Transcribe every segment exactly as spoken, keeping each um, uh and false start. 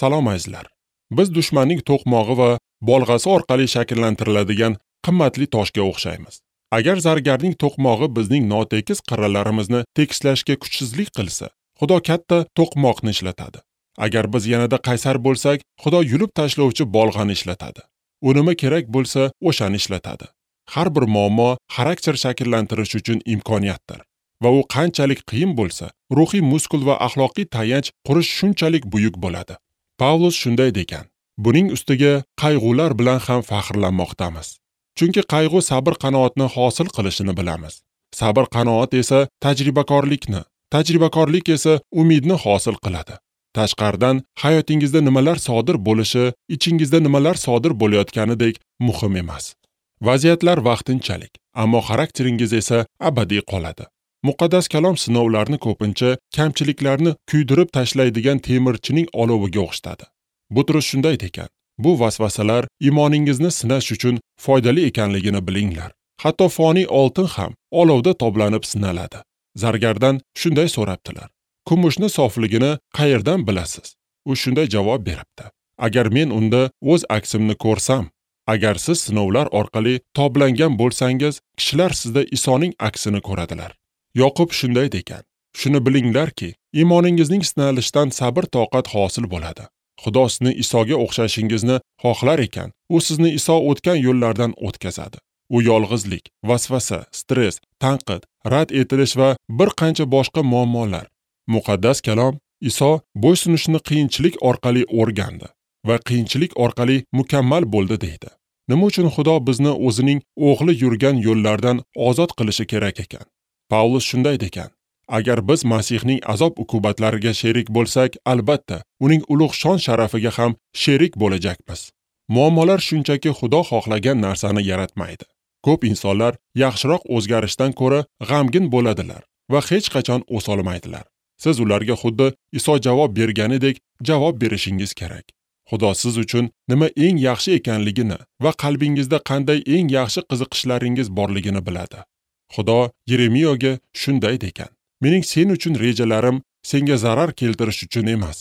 Salom azizlar. Biz dushmanning to'qmog'i va bolg'asi orqali shakllantiriladigan qimmatli toshga o'xshaymiz. Agar zargarning to'qmog'i bizning notekis qirralarimizni tekislashga kuchsizlik qilsa, Xudo katta to'qmoqni ishlatadi. Agar biz yanada qaysar bo'lsak, Xudo yulib tashlovchi bolg'ani ishlatadi. U nima kerak bo'lsa, o'shani ishlatadi. Har bir muammo xarakter shakllantirish uchun imkoniyatdir. Va u qanchalik qiyin bo'lsa, ruhiy muskul va axloqiy tayanch qurish shunchalik buyuk bo'ladi. Pavlus shunday degan: buning ustiga qayg'ular bilan ham faxrlanmoqdamiz. Chunki qayg'u sabr qanoatni hosil qilishini bilamiz. Sabr qanoat esa tajribakorlikni, tajribakorlik esa umidni hosil qiladi. Tashqaridan hayotingizda nimalar sodir bo'lishi, ichingizda nimalar sodir bo'layotganidek muhim emas. Vaziyatlar vaqtinchalik, ammo xarakteringiz esa abadiy qoladi. Muqaddas kalom sinovlarni ko'pincha kamchiliklarni kuydirib tashlaydigan temirchining oloviga o'xshatadi. Butrus shunday degan: bu vasvasalar iymoningizni sinash uchun foydali ekanligini bilinglar. Hatto foniy oltin ham olovda toblanib sinaladi. Zargardan shunday so'rabdilar: kumushni sofligini qayerdan bilasiz? U shunday javob beribdi: agar men unda o'z aksimni ko'rsam, agar siz sinovlar orqali toblangan bo'lsangiz, kishilar sizda Isoning aksini ko'radilar. Yoqub shunday degan: shuni bilinglarki, iymoningizning sinalishidan sabr toqat hosil bo'ladi. Xudo sizni Isoga o'xshashingizni xohlar ekan, u sizni Iso o'tgan yo'llardan o'tkazadi. U yolg'izlik, vasvasa, stress, tanqid, rad etilish va bir qancha boshqa muammolar. Muqaddas kalom Iso bo'ysunishni qiyinchilik orqali o'rgandi va qiyinchilik orqali mukammal bo'ldi deydi. Nima uchun Xudo bizni o'zining o'g'li yurgan yo'llardan ozod qilishi kerak ekan? Pavlus shunday degan: agar biz Masihning azob uqubatlariga sherik bo'lsak, albatta uning ulug' shon sharafiga ham sherik bo'lajakmiz. Muammolar shunchaki Xudo xohlagan narsani yaratmaydi. Ko'p insonlar yaxshiroq o'zgarishdan ko'ra g'amgin bo'ladilar va hech qachon o'solmaydilar. Siz ularga xuddi Iso javob berganidek javob berishingiz kerak. Xudo siz uchun nima eng yaxshi ekanligini va qalbingizda qanday eng yaxshi qiziqishlaringiz borligini biladi. Xudo Yeremiyoga shunday degan: mening sen uchun rejalarim senga zarar keltirish uchun emas,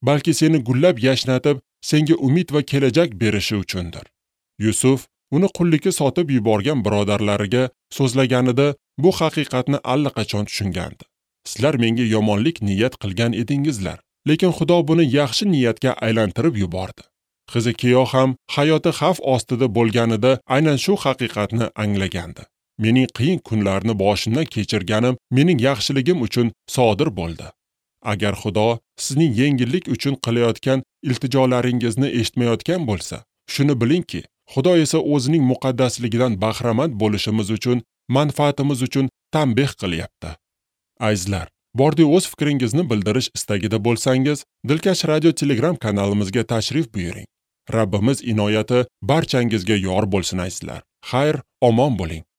balki seni gullab yashnatib, senga umid va kelajak berishi uchundir. Yusuf uni qullikka sotib yuborgan birodarlariga so'zlaganida bu haqiqatni allaqachon tushungandi. Sizlar menga yomonlik niyat qilgan edingizlar, lekin Xudo buni yaxshi niyatga aylantirib yubordi. Hizikiyo ham hayoti xavf ostida bo'lganida aynan shu haqiqatni anglagandi. Mening qiyin kunlarni boshimdan kechirganim mening yaxshiligim uchun sodir bo'ldi. Agar Xudo sizning yengillik uchun qilayotgan iltijolaringizni eshitmayotgan bo'lsa, shuni bilingki, Xudo esa o'zining muqaddasligidan bahramand bo'lishimiz uchun, manfaatimiz uchun tanbeh qilyapti. Azizlar, bordi o'z fikringizni bildirish istagida bo'lsangiz, Dilkash Radio Telegram kanalimizga tashrif buyuring. Rabbimiz inoyati barchangizga yor bo'lsin azizlar. Xayr, omon bo'ling.